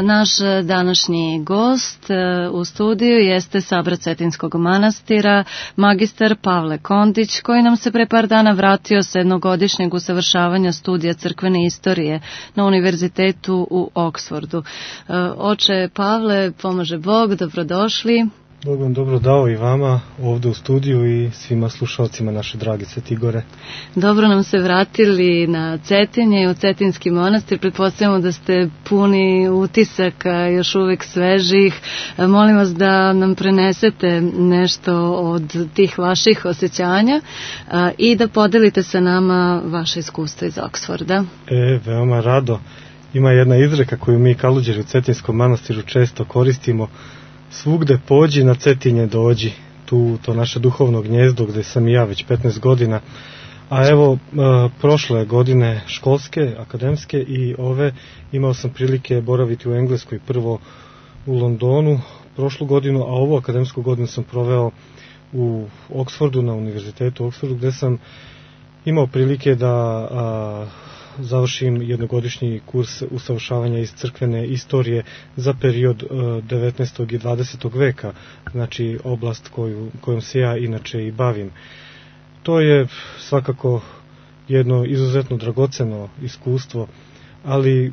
Naš današnji gost u studiju jeste Sabra Cetinskog manastira, magistar Pavle Kondić, koji nam se pre par dana vratio sa jednogodišnjeg usavršavanja studija crkvene istorije na univerzitetu u Oksfordu. Oče Pavle, pomaže Bog, dobrodošli. Bog vam dobro dao i vama ovdje u studiju i svima slušalcima naše drage Cetigore. Dobro nam se vratili na Cetinje i u Cetinski manastir. Pretpostavljamo da ste puni utisaka, još uvek svežih. Molim vas da nam prenesete nešto od tih vaših osjećanja i da podelite sa nama vaše iskustvo iz Oksforda. Veoma rado. Ima jedna izreka koju mi kaluđeri u Cetinskom manastiru često koristimo. Svugde pođi, na Cetinje dođi, to naše duhovno gnjezdo gde sam i ja već 15 godina. A evo, prošle godine školske, akademske i ove imao sam prilike boraviti u Engleskoj, prvo u Londonu prošlu godinu, a ovu akademsku godinu sam proveo u Oksfordu, na univerzitetu u Oksfordu, gde sam imao prilike da završim jednogodišnji kurs usavršavanja iz crkvene istorije za period 19. i 20. veka, znači oblast kojom se ja inače i bavim. To je svakako jedno izuzetno dragoceno iskustvo, ali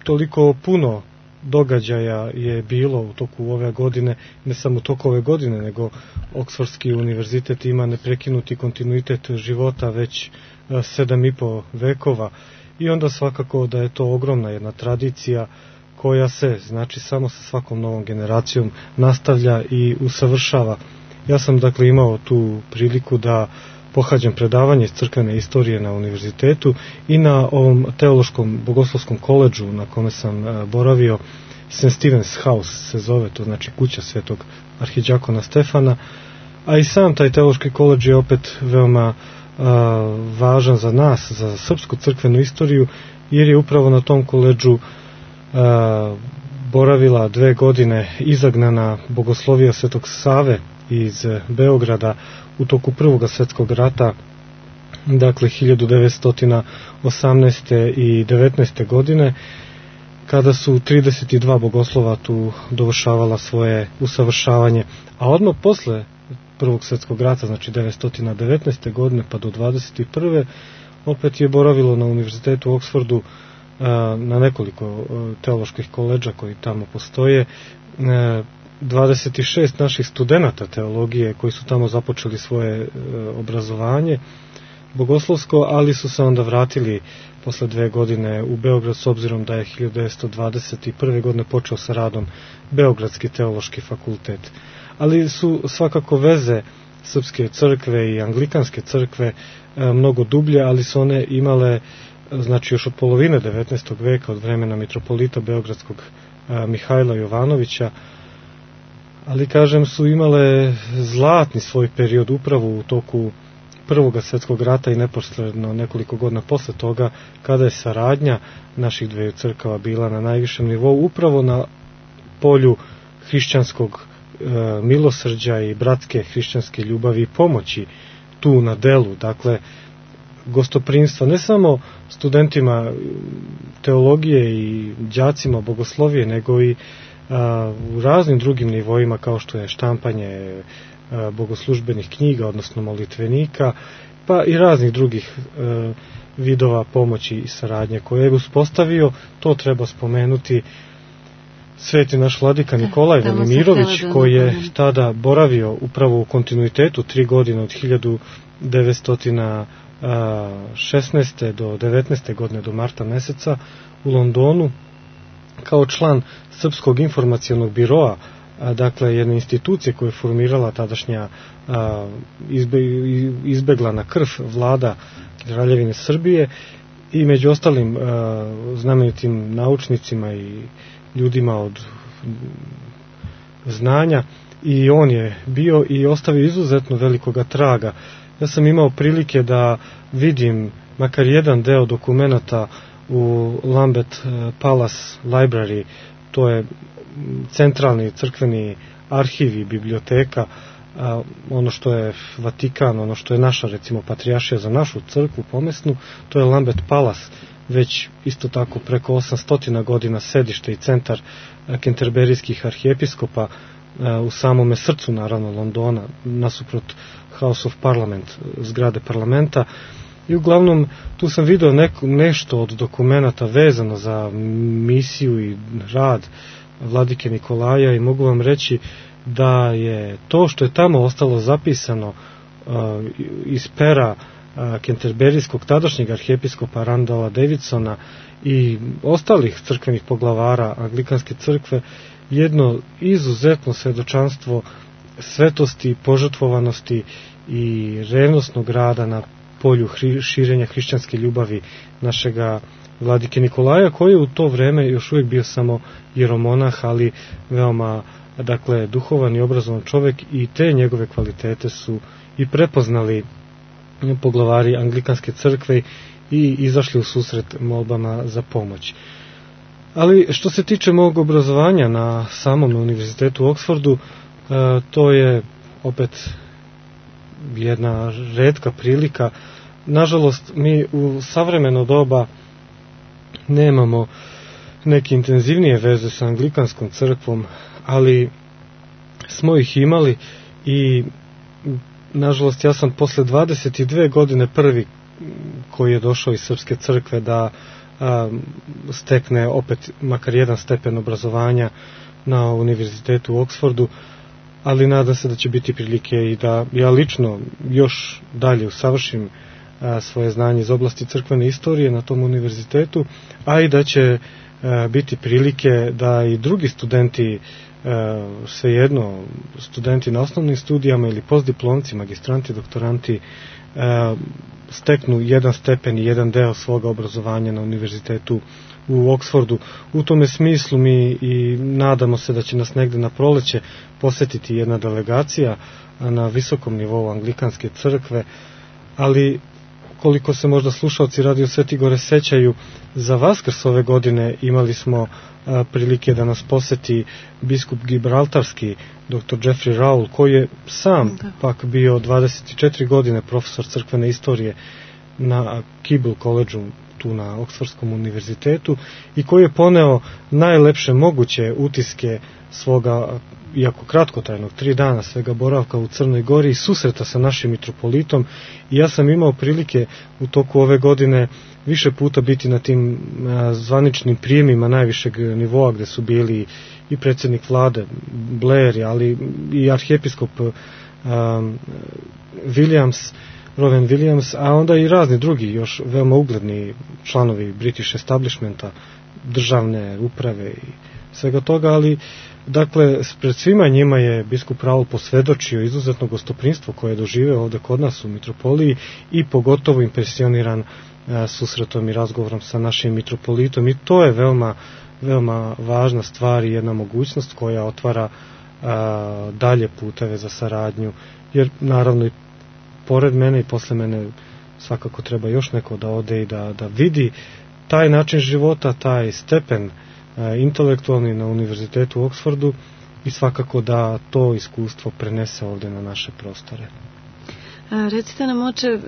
toliko puno događaja je bilo u toku ove godine, ne samo u toku ove godine, nego Oksfordski univerzitet ima neprekinuti kontinuitet života već 7,5 vekova i onda svakako da je to ogromna jedna tradicija koja se, znači, samo sa svakom novom generacijom nastavlja i usavršava. Ja sam dakle imao tu priliku da pohađam predavanje iz crkvene istorije na univerzitetu i na ovom teološkom bogoslovskom koledžu na kome sam boravio, St. Stephen's House se zove, to znači kuća svetog arhidjakona Stefana, a i sam taj teološki koledž je opet veoma važan za nas, za srpsku crkvenu istoriju, jer je upravo na tom koledžu boravila 2 godine izagnana bogoslovija svetog Save iz Beograda u toku Prvog svjetskog rata, dakle 1918. i 19. godine, kada su 32 bogoslova tu dovršavala svoje usavršavanje, a odmah posle Prvog svjetskog rata, znači 1919. godine pa do 21. opet je boravilo na univerzitetu u Oksfordu na nekoliko teoloških koledža koji tamo postoje, 26 naših studenata teologije koji su tamo započeli svoje obrazovanje bogoslovsko, ali su se onda vratili posle 2 godine u Beograd, s obzirom da je 1921. godine počeo sa radom Beogradski teološki fakultet. Ali su svakako veze srpske crkve i anglikanske crkve mnogo dublje, ali su one imale, znači još od polovine 19. veka, od vremena mitropolita beogradskog Mihajla Jovanovića, ali kažem su imale zlatni svoj period upravo u toku Prvog svjetskog rata i neposredno nekoliko godina posle toga, kada je saradnja naših dveju crkava bila na najvišem nivou, upravo na polju hrišćanskog milosrđa i bratske hrišćanske ljubavi i pomoći tu na delu, dakle gostoprimstva ne samo studentima teologije i đacima bogoslovije, nego i u raznim drugim nivoima, kao što je štampanje bogoslužbenih knjiga, odnosno molitvenika, pa i raznih drugih vidova pomoći i saradnje koje je uspostavio. To treba spomenuti sveti naš vladika Nikolaj Velimirović, koji je tada boravio upravo u kontinuitetu 3 godine od 1916. do 19. godine do marta meseca u Londonu kao član Srpskog informacionog biroa, dakle jedne institucije koju je formirala tadašnja izbeglana krv vlada Kraljevine Srbije i među ostalim znamenitim naučnicima i ljudima od znanja, i on je bio i ostavio izuzetno velikoga traga. Ja sam imao prilike da vidim makar jedan deo dokumenata u Lambeth Palace Library, to je centralni crkveni arhiv i biblioteka, ono što je Vatikan, ono što je naša recimo patrijaršija za našu crkvu pomesnu, to je Lambeth Palace, već isto tako preko 800 godina sedište i centar kenterberijskih arhijepiskopa u samome srcu, naravno, Londona, nasuprot House of Parliament, zgrade parlamenta. I uglavnom tu sam vidio nešto od dokumenata vezano za misiju i rad vladike Nikolaja i mogu vam reći da je to što je tamo ostalo zapisano iz pera kenterberijskog tadašnjeg arhijepiskopa Randala Davidsona i ostalih crkvenih poglavara Anglikanske crkve jedno izuzetno svedočanstvo svetosti, požrtvovanosti i revnosnog rada na polju širenja hrišćanske ljubavi našega vladike Nikolaja, koji je u to vreme još uvijek bio samo jeromonah, ali veoma, dakle, duhovan i obrazovan čovjek, i te njegove kvalitete su i prepoznali poglavari Anglikanske crkve i izašli u susret molbama za pomoć. Ali što se tiče mog obrazovanja na samom univerzitetu u Oxfordu, to je opet jedna retka prilika. Nažalost, mi u savremeno doba nemamo neke intenzivnije veze sa Anglikanskom crkvom, ali smo ih imali i nažalost ja sam posle 22 godine prvi koji je došao iz Srpske crkve da stekne opet makar jedan stepen obrazovanja na univerzitetu u Oxfordu, ali nadam se da će biti prilike i da ja lično još dalje usavršim svoje znanje iz oblasti crkvene istorije na tom univerzitetu, a i da će biti prilike da i drugi studenti, svejedno studenti na osnovnim studijama ili postdiplomci, magistranti, doktoranti, steknu jedan stepen i jedan deo svoga obrazovanja na univerzitetu u Oxfordu. U tome smislu mi i nadamo se da će nas negde na proleće posetiti jedna delegacija na visokom nivou Anglikanske crkve, ali koliko se možda slušalci Radio Sveti Gore sećaju, za Vaskrs ove godine imali smo prilike da nas poseti biskup Gibraltarski, dr. Jeffrey Rowell, koji je sam pak bio 24 godine profesor crkvene istorije na Keble College-u tu na Oksfordskom univerzitetu i koji je poneo najlepše moguće utiske svoga, iako kratkotrajnog, 3 dana svega boravka u Crnoj Gori i susreta sa našim mitropolitom, i ja sam imao prilike u toku ove godine više puta biti na tim zvaničnim prijemima najvišeg nivoa gde su bili i predsjednik vlade Blair, ali i arhijepiskop Rowan Williams, a onda i razni drugi još veoma ugledni članovi British establishmenta, državne uprave i svega toga, ali dakle, pred svima njima je biskup Raul posvedočio izuzetno gostoprinstvo koje je doživeo ovde kod nas u mitropoliji i pogotovo impresioniran susretom i razgovorom sa našim mitropolitom, i to je veoma, veoma važna stvar i jedna mogućnost koja otvara dalje puteve za saradnju, jer naravno i pored mene i posle mene svakako treba još neko da ode i da vidi taj način života, taj stepen intelektualni na univerzitetu u Oxfordu i svakako da to iskustvo prenese ovde na naše prostore. Recite nam, oče,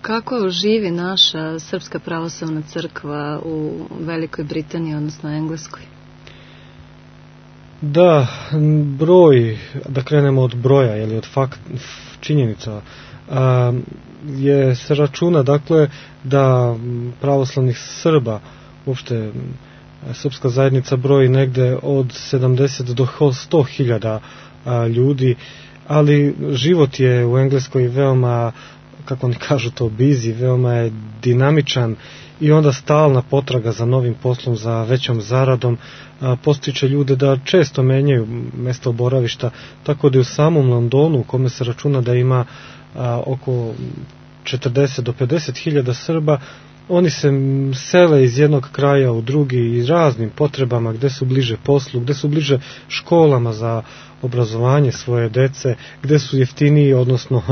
kako živi naša Srpska pravoslavna crkva u Velikoj Britaniji, odnosno Engleskoj? Da, broj, da krenemo od broja, ili od činjenica, se računa, dakle, da pravoslavnih Srba, uopšte srpska zajednica broji negde od 70 do 100.000 ljudi, ali život je u Engleskoj veoma, kako oni kažu to, busy, veoma je dinamičan i onda stalna potraga za novim poslom, za većom zaradom postiče ljude da često menjaju mesto boravišta, tako da je u samom Londonu, u kome se računa da ima oko 40 do 50.000 Srba, oni se sele iz jednog kraja u drugi i raznim potrebama, gde su bliže poslu, gde su bliže školama za obrazovanje svoje dece, gde su jeftiniji, odnosno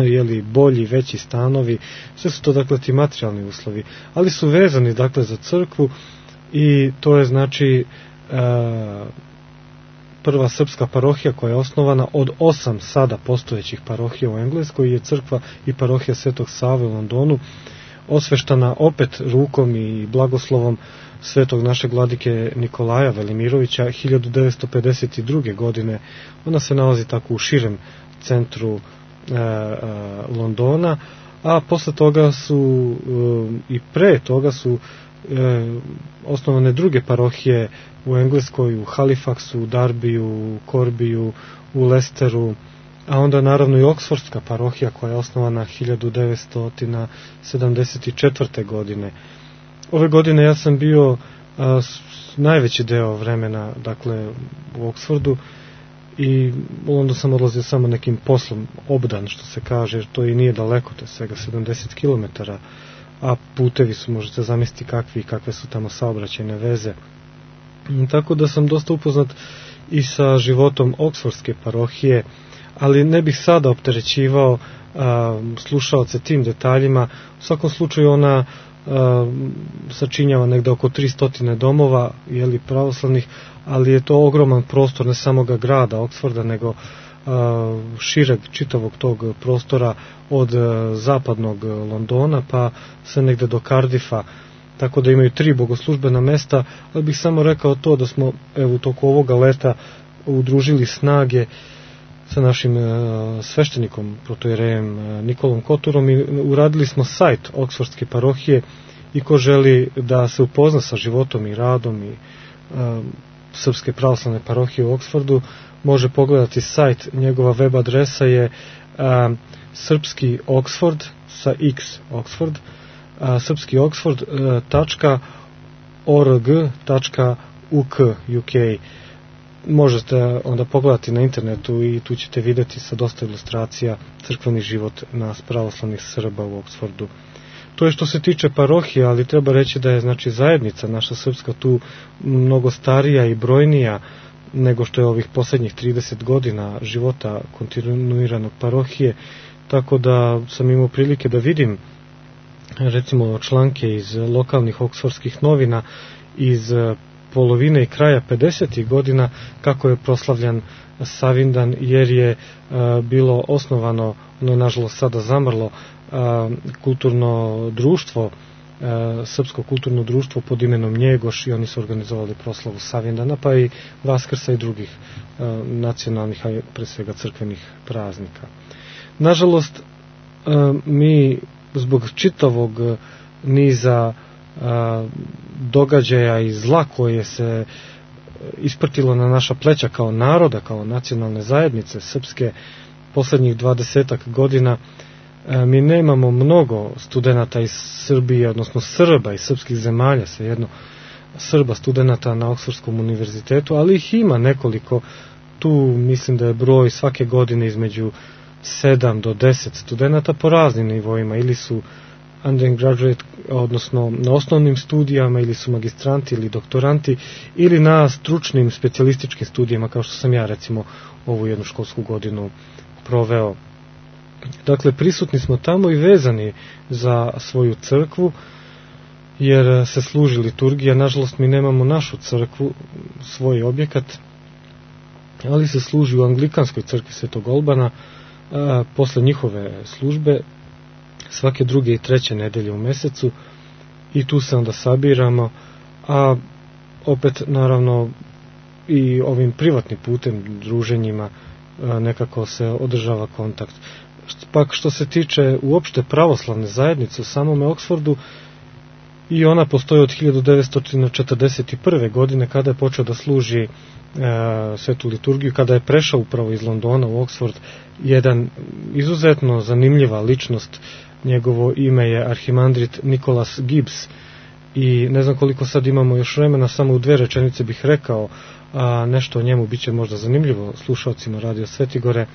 bolji, veći stanovi. Sve su to, dakle, ti materijalni uslovi, ali su vezani, dakle, za crkvu, i to je, znači, prva srpska parohija koja je osnovana od 8 sada postojećih parohija u Engleskoj, je crkva i parohija Svetog Save u Londonu. osveštana opet rukom i blagoslovom svetog našeg vladike Nikolaja Velimirovića 1952. godine. Ona se nalazi tako u širem centru Londona, a posle toga su i pre toga su osnovane druge parohije u Engleskoj, u Halifaxu, u Darbiju, u Korbiju, u Lesteru, a onda naravno i Oksfordska parohija koja je osnovana 1974. godine. Ove godine ja sam bio najveći deo vremena, dakle, u Oksfordu, i onda sam odlazio samo nekim poslom obdan, što se kaže, jer to i nije daleko, to je svega 70 km, a putevi su, možete zamisliti kakve su tamo saobraćajne veze. Tako da sam dosta upoznat i sa životom Oksfordske parohije, ali ne bih sada opterećivao slušaoce tim detaljima. U svakom slučaju ona sačinjava negde oko 300 domova, jeli, pravoslavnih, ali je to ogroman prostor ne samoga grada Oksforda, nego šireg čitavog tog prostora od zapadnog Londona pa sve negde do Cardiffa, tako da imaju 3 bogoslužbena mesta, ali bih samo rekao to da smo u toku ovoga leta udružili snage sa našim sveštenikom, protojerejem Nikolom Koturom, i uradili smo sajt Oksfordske parohije, i ko želi da se upozna sa životom i radom i Srpske pravoslavne parohije u Oksfordu, može pogledati sajt. Njegova web adresa je srpski Oksford sa x Oksford, srpskioksford.org.uk. Možete onda pogledati na internetu i tu ćete vidjeti sa dosta ilustracija crkveni život nas pravoslavnih Srba u Oksfordu. To je što se tiče parohije, ali treba reći da je, znači, zajednica naša srpska tu mnogo starija i brojnija nego što je ovih poslednjih 30 godina života kontinuiranog parohije, tako da sam imao prilike da vidim recimo članke iz lokalnih oksfordskih novina iz polovine i kraja 50. godina kako je proslavljan Savindan, jer je bilo osnovano, ono je nažalost sada zamrlo, kulturno društvo, Srpsko kulturno društvo pod imenom Njegoš, i oni su organizovali proslavu Savindana, pa i Vaskrsa i drugih nacionalnih, a pre svega crkvenih praznika. Nažalost, mi zbog čitavog niza događaja i zla koje se isprtilo na naša pleća kao naroda, kao nacionalne zajednice srpske poslednjih 20 godina, mi nemamo mnogo studenata iz Srbije, odnosno Srba iz srpskih zemalja, svejedno Srba studenata na Oksfordskom univerzitetu, ali ih ima nekoliko. Tu mislim da je broj svake godine između 7 do 10 studenata po raznim nivoima, ili su undergraduate, odnosno na osnovnim studijama, ili su magistranti ili doktoranti, ili na stručnim specijalističkim studijama, kao što sam ja recimo ovu jednu školsku godinu proveo. Dakle, prisutni smo tamo i vezani za svoju crkvu, jer se služi liturgija. Nažalost, mi nemamo našu crkvu, svoj objekat, ali se služi u Anglikanskoj crkvi Svetog Olbana posle njihove službe svake 2. i 3. nedelje u mesecu, i tu se onda sabiramo, a opet naravno i ovim privatnim putem, druženjima, nekako se održava kontakt. Pak što se tiče uopšte pravoslavne zajednice u samome Oksfordu, i ona postoji od 1941. godine, kada je počeo da služi svetu liturgiju, kada je prešao upravo iz Londona u Oksford jedan izuzetno zanimljiva ličnost. Njegovo ime je arhimandrit Nicholas Gibbs, i ne znam koliko sad imamo još vremena, samo u 2 rečenice bih rekao nešto o njemu, bit će možda zanimljivo slušalcima Radio Svetigore.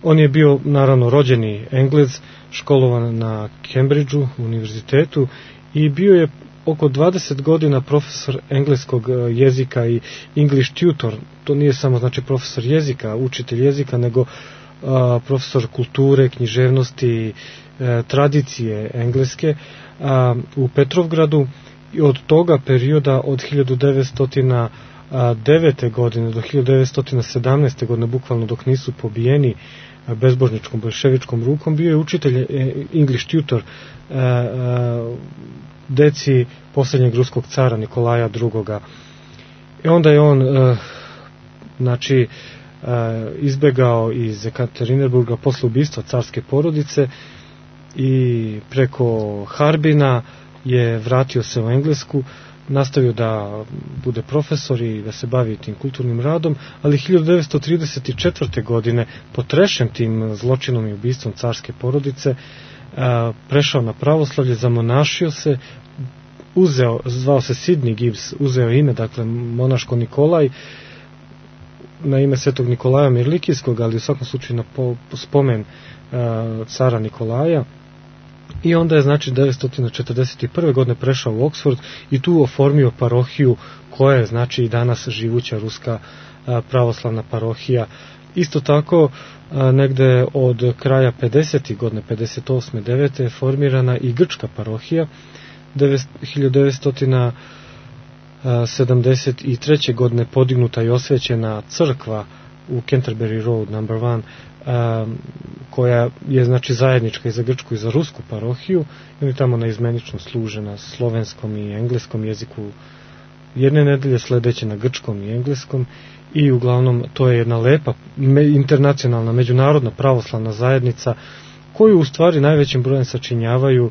On je bio naravno rođeni Englez, školovan na Cambridgeu univerzitetu, i bio je oko 20 godina profesor engleskog jezika i English tutor. To nije samo znači profesor jezika, učitelj jezika, nego profesor kulture, književnosti, tradicije engleske u Petrovgradu. I od toga perioda, od 1900 1909. godine do 1917. godine, bukvalno dok nisu pobijeni bezbožničkom bolševičkom rukom, bio je učitelj, English tutor, deci posljednjeg ruskog cara Nikolaja II. I onda je on izbegao iz Ekaterinburga posle ubistva carske porodice i preko Harbina je vratio se u Englesku, nastavio da bude profesor i da se bavi tim kulturnim radom, ali 1934. godine, potrešen tim zločinom i ubistvom carske porodice, prešao na pravoslavlje, zamonašio se, zvao se Sidney Gibbs, uzeo ime, dakle, monaško Nikolaj, na ime svetog Nikolaja Mirlikijskog, ali u svakom slučaju na spomen cara Nikolaja. I onda je, znači, 1941. godine prešao u Oxford i tu oformio parohiju koja je, znači, i danas živuća ruska pravoslavna parohija. Isto tako, negde od kraja 50. godine, 58. 9. je formirana i grčka parohija. 1973. godine podignuta i osvećena crkva u Canterbury Road No. 1, koja je, znači, zajednička i za grčku i za rusku parohiju, i oni tamo naizmenično služe na slovenskom i engleskom jeziku jedne nedelje, sledeće na grčkom i engleskom, i uglavnom to je jedna lepa internacionalna međunarodna pravoslavna zajednica koju u stvari najvećim brojem sačinjavaju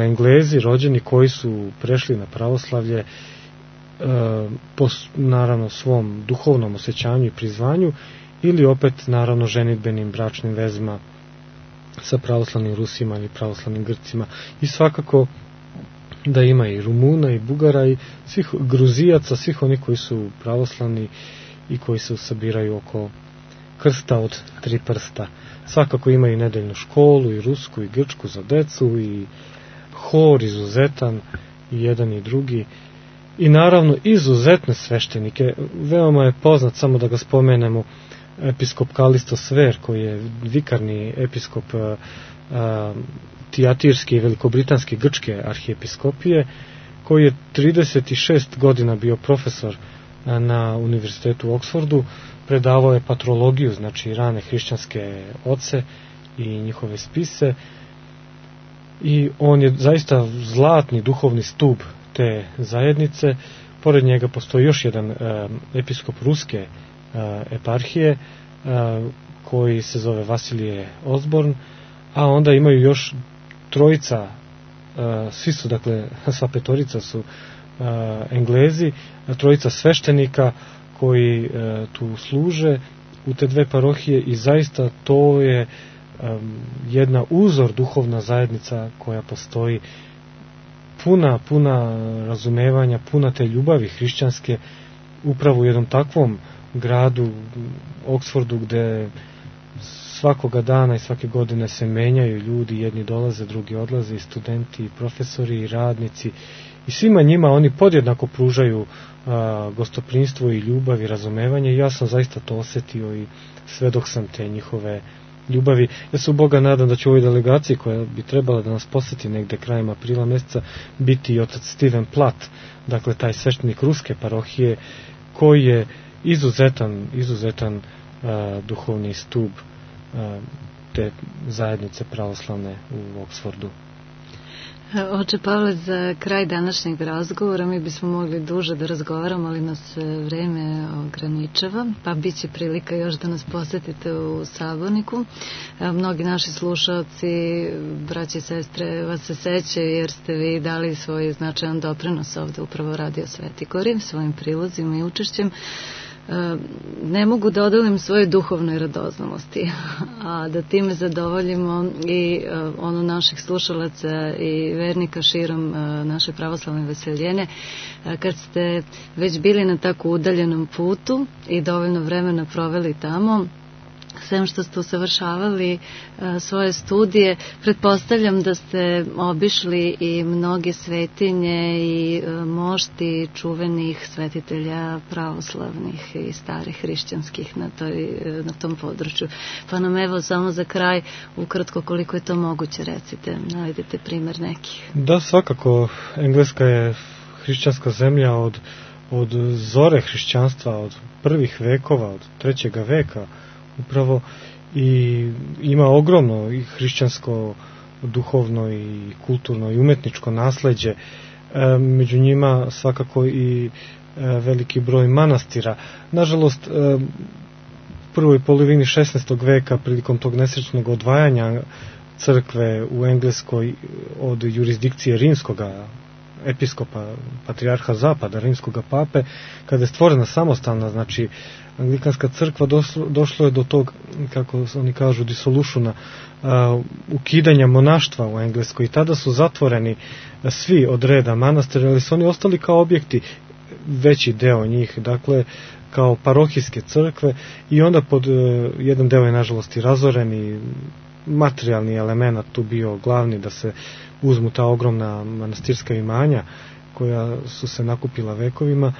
Englezi rođeni koji su prešli na pravoslavlje po, naravno, svom duhovnom osjećanju i prizvanju, ili opet, naravno, ženidbenim bračnim vezima sa pravoslavnim Rusima ili pravoslavnim Grcima. I svakako da ima i Rumuna i Bugara i svih Gruzijaca, svih onih koji su pravoslavni i koji se sabiraju oko krsta od 3 prsta. Svakako ima i nedeljnu školu, i rusku, i grčku za decu, i hor izuzetan, i jedan i drugi. I naravno izuzetne sveštenike. Veoma je poznat, samo da ga spomenemo, episkop Kalisto Sver, koji je vikarni episkop Tijatirske i velikobritanske grčke arhijepiskopije, koji je 36 godina bio profesor na univerzitetu u Oksfordu, predavao je patrologiju, znači rane hrišćanske oce i njihove spise, i on je zaista zlatni duhovni stub te zajednice. Pored njega postoji još jedan episkop ruske eparhije koji se zove Vasilije Osborn, a onda imaju još trojica, svi su, dakle, sva petorica su Englezi, trojica sveštenika koji tu služe u te dve parohije, i zaista to je jedna uzor duhovna zajednica koja postoji, puna razumevanja, puna te ljubavi hrišćanske, upravo u jednom takvom gradu, Oksfordu, gde svakoga dana i svake godine se menjaju ljudi, jedni dolaze, drugi odlaze, i studenti, i profesori, i radnici, i svima njima oni podjednako pružaju gostoprinstvo i ljubav i razumevanje, i ja sam zaista to osetio i svedok sam te njihove ljubavi. Ja se u Boga nadam da će u ovoj delegaciji, koja bi trebala da nas poseti negde krajem aprila meseca, biti i otac Steven Platt, dakle taj sveštenik ruske parohije, koji je izuzetan duhovni stub te zajednice pravoslavne u Oksfordu. Oče Pavle, za kraj današnjeg razgovora mi bismo mogli duže da razgovaramo, ali nas vreme ograničava, pa bit će prilika još da nas posetite u Saborniku. Mnogi naši slušalci, braći i sestre, vas se sećaju jer ste vi dali svoj značajan doprinos ovde upravo Radio Sveti Gori svojim prilozima i učešćem. Ne mogu da odolim svoje duhovnoj radoznalosti, a da time zadovoljimo i ono naših slušalaca i vernika širom naše pravoslavne veseljene. Kad ste već bili na tako udaljenom putu i dovoljno vremena proveli tamo, sem što ste usavršavali svoje studije, pretpostavljam da ste obišli i mnoge svetinje i mošti čuvenih svetitelja pravoslavnih i starih hrišćanskih na tom području. Pa nam evo samo za kraj, ukratko koliko je to moguće, recite, navedite primer nekih. Da, svakako, Engleska je hrišćanska zemlja od zore hrišćanstva, od prvih vekova, od 3. veka upravo, i ima ogromno i hrišćansko duhovno i kulturno i umetničko nasleđe, među njima svakako i veliki broj manastira. Nažalost, u prvoj polovini 16. veka, prilikom tog nesrećnog odvajanja crkve u Engleskoj od jurisdikcije rimskoga episkopa, patrijarha zapada, rimskoga pape, kada je stvorena samostalna, znači anglikanska crkva, došlo je do tog, kako oni kažu, disolušuna, ukidanja monaštva u Engleskoj, i tada su zatvoreni svi od reda manastira, ali su oni ostali kao objekti, veći deo njih, dakle kao parohijske crkve, i onda pod jedan deo je nažalost i razoren, i materijalni element tu bio glavni, da se uzmu ta ogromna manastirska imanja koja su se nakupila vekovima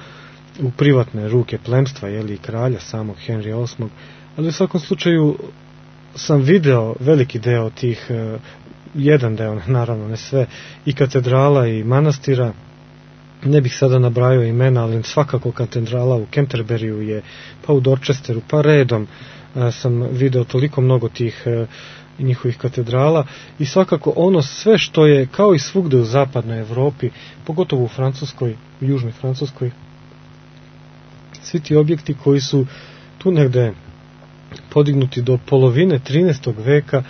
u privatne ruke plemstva, i kralja samog Henrija VIII. Ali u svakom slučaju sam video veliki deo tih, jedan deo, naravno ne sve, i katedrala i manastira. Ne bih sada nabrajao imena, ali svakako katedrala u Canterburyju je, pa u Dorchesteru, pa redom sam video toliko mnogo tih njihovih katedrala, i svakako ono sve što je kao i svugde u zapadnoj Evropi, pogotovo u Francuskoj, u južnoj Francuskoj, svi ti objekti koji su tu negde podignuti do polovine 13. veka,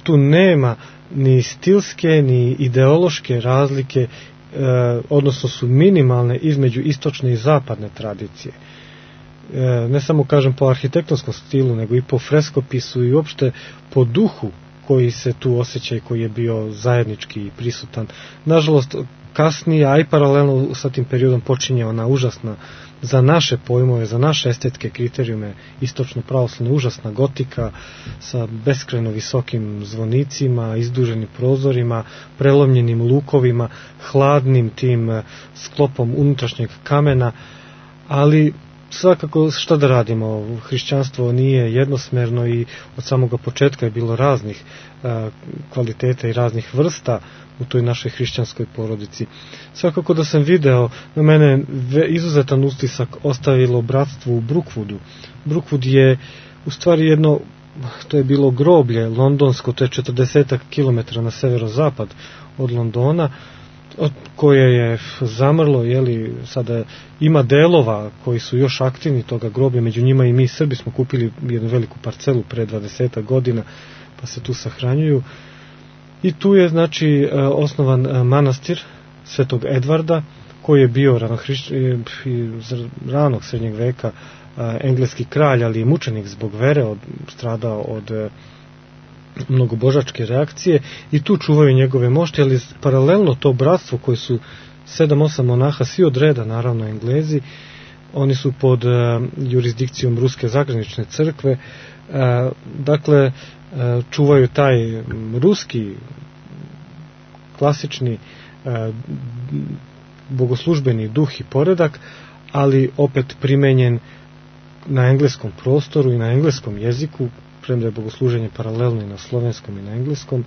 tu nema ni stilske ni ideološke razlike, odnosno su minimalne između istočne i zapadne tradicije. Ne samo, kažem, po arhitektonskom stilu, nego i po freskopisu i uopšte po duhu koji se tu osjeća i koji je bio zajednički i prisutan. Nažalost, kasnije, a i paralelno sa tim periodom, počinje ona užasna, za naše pojmove, za naše estetske kriterijume, istočno pravoslavna užasna gotika sa beskrajno visokim zvonicima, izduženim prozorima, prelomljenim lukovima, hladnim tim sklopom unutrašnjeg kamena, ali svakako šta da radimo, hrišćanstvo nije jednosmerno i od samoga početka je bilo raznih kvaliteta i raznih vrsta u toj našoj hrišćanskoj porodici. Svakako da sam video, na mene izuzetan utisak ostavilo bratstvo u Brookwoodu. Brookwood je u stvari jedno, to je bilo groblje londonsko, to je 40 km na severozapad od Londona, koje je zamrlo, sada ima delova koji su još aktivni toga groblja, među njima i mi Srbi smo kupili jednu veliku parcelu pre 20 godina, pa se tu sahranjuju. I tu je, znači, osnovan manastir Svetog Edvarda, koji je bio ranog srednjeg veka engleski kralj, ali i mučenik zbog vere, stradao od mnogobožačke reakcije, i tu čuvaju njegove mošti, ali paralelno to bratstvo koji su 7-8 monaha, svi od reda, naravno Englezi, oni su pod jurisdikcijom Ruske zagranične crkve, dakle čuvaju taj ruski klasični bogoslužbeni duh i poredak, ali opet primenjen na engleskom prostoru i na engleskom jeziku, premda je bogosluženje paralelno i na slovenskom i na engleskom,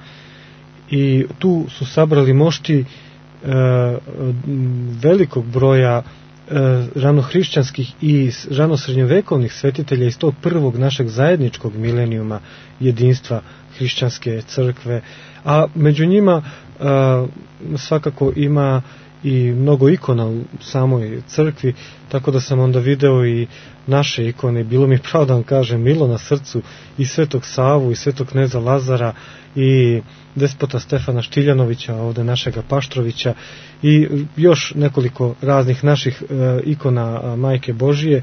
i tu su sabrali mošti velikog broja ranohrišćanskih i ranosrednjovekovnih svetitelja iz tog prvog našeg zajedničkog milenijuma jedinstva hrišćanske crkve, a među njima svakako ima i mnogo ikona u samoj crkvi, tako da sam onda video i naše ikone. Bilo mi pravo da vam kažem, milo na srcu, i Svetog Savu i Svetog kneza Lazara i despota Stefana Štiljanovića, ovde našega Paštrovića, i još nekoliko raznih naših ikona Majke Božije,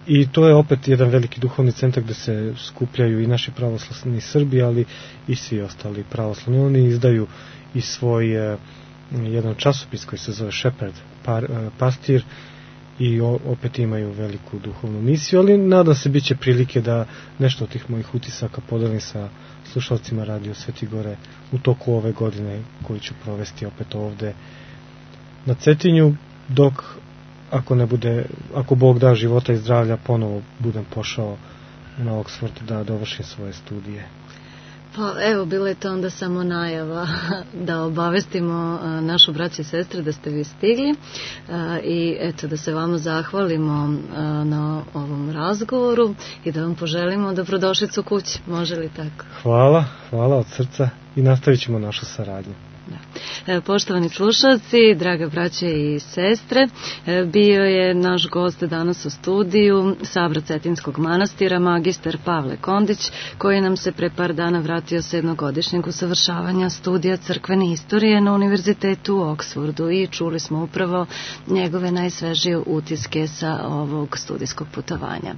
i to je opet jedan veliki duhovni centar gde se skupljaju i naši pravoslavni Srbi, ali i svi ostali pravoslavni. Oni izdaju i svoj jedan časopis koji se zove Shepherd, pastir, i opet imaju veliku duhovnu misiju, ali nadam se bit će prilike da nešto od tih mojih utisaka podelim sa slušalcima Radio Svetigore u toku ove godine koju ću provesti opet ovde na Cetinju, dok ako Bog da života i zdravlja, ponovo budem pošao na Oxford da dovršim svoje studije. Pa evo, bilo je to onda samo najava da obavestimo našu braću i sestre da ste vi stigli i eto da se vama zahvalimo na ovom razgovoru i da vam poželimo dobrodošlicu kući, može li tako? Hvala od srca i nastavit ćemo našu saradnju. Da. Poštovani slušalci, draga braće i sestre, bio je naš gost danas u studiju, Sabra Cetinskog manastira, magistar Pavle Kondić, koji nam se pre par dana vratio sa jednogodišnjeg usavršavanja studija crkvene istorije na Univerzitetu u Oksfordu i čuli smo upravo njegove najsvežije utiske sa ovog studijskog putovanja.